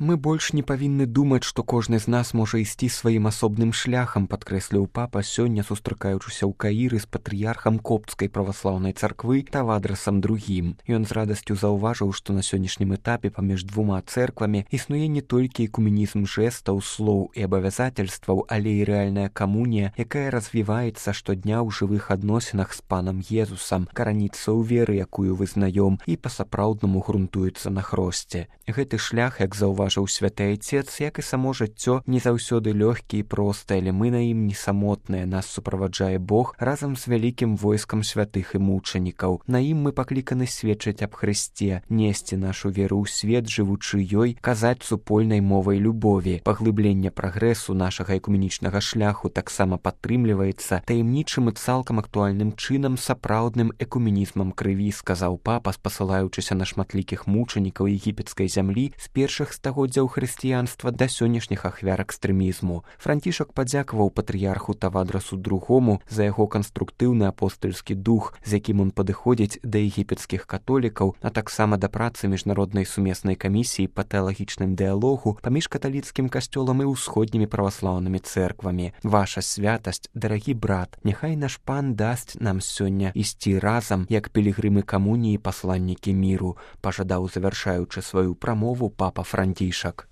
Мы больш не павінны думаць, што кожны з нас можа ісці сваім асобным шляхам, падкрэсліў папа сёння, сустракаючыся ў Каіры з патрыярхам коптскай праваслаўнай царквы Тавадрасам II. Ён з радасцю заўважыў, што на сённяшнім этапе паміж двума цэрквамі існуе не толькі экуменізм жэстаў, слоў і абавязательстваў, але і рэальная камунія, якая развіваецца штодня ў жывых адносінах з панам Езусам, караніцца ў веры, якую вызнаём, і па-сапраўднаму грунтуецца на хросце. Гэты шлях, як заўважыў святы айцец, як і само жыццё, не заўсёды лёгкі і просты, але мы на ім не самотныя, нас суправаджае Бог разам з вялікім войскам святых і мучанікаў. На ім мы пакліканы сведчыць аб Хрысце, несці нашу веру ў свет, жывучы ёй, казаць супольнай мовай любові. Паглыбленне прагрэсу нашага экуменічнага шляху таксама падтрымліваецца таямнічым і цалкам актуальным чынам сапраўдным экуменізмам крыві, сказаў папа, спасылаючыся на шматлікіх мучанікаў егіпецкай зямлі з першых стагоддзяў хрысціянства да сённяшніх ахвяр экстрэмізму. Францішак падзякаваў патрыярху Тавадрасу II за яго канструктыўны апостальскі дух, з якім ён падыходзіць да егіпецкіх католікаў, а таксама да працы міжнароднай сумеснай камісіі па тэалагічным дыялогу паміж каталіцкім касцёлам і ўсходнімі праваслаўнымі цэрквамі. Ваша святасць, дарагі брат, няхай наш пан дасць нам сёння ісці разам, як пілігрымы камуніі, пасланнікі міру, пажадаў, завяршаючы сваю прамову, папа Францішак.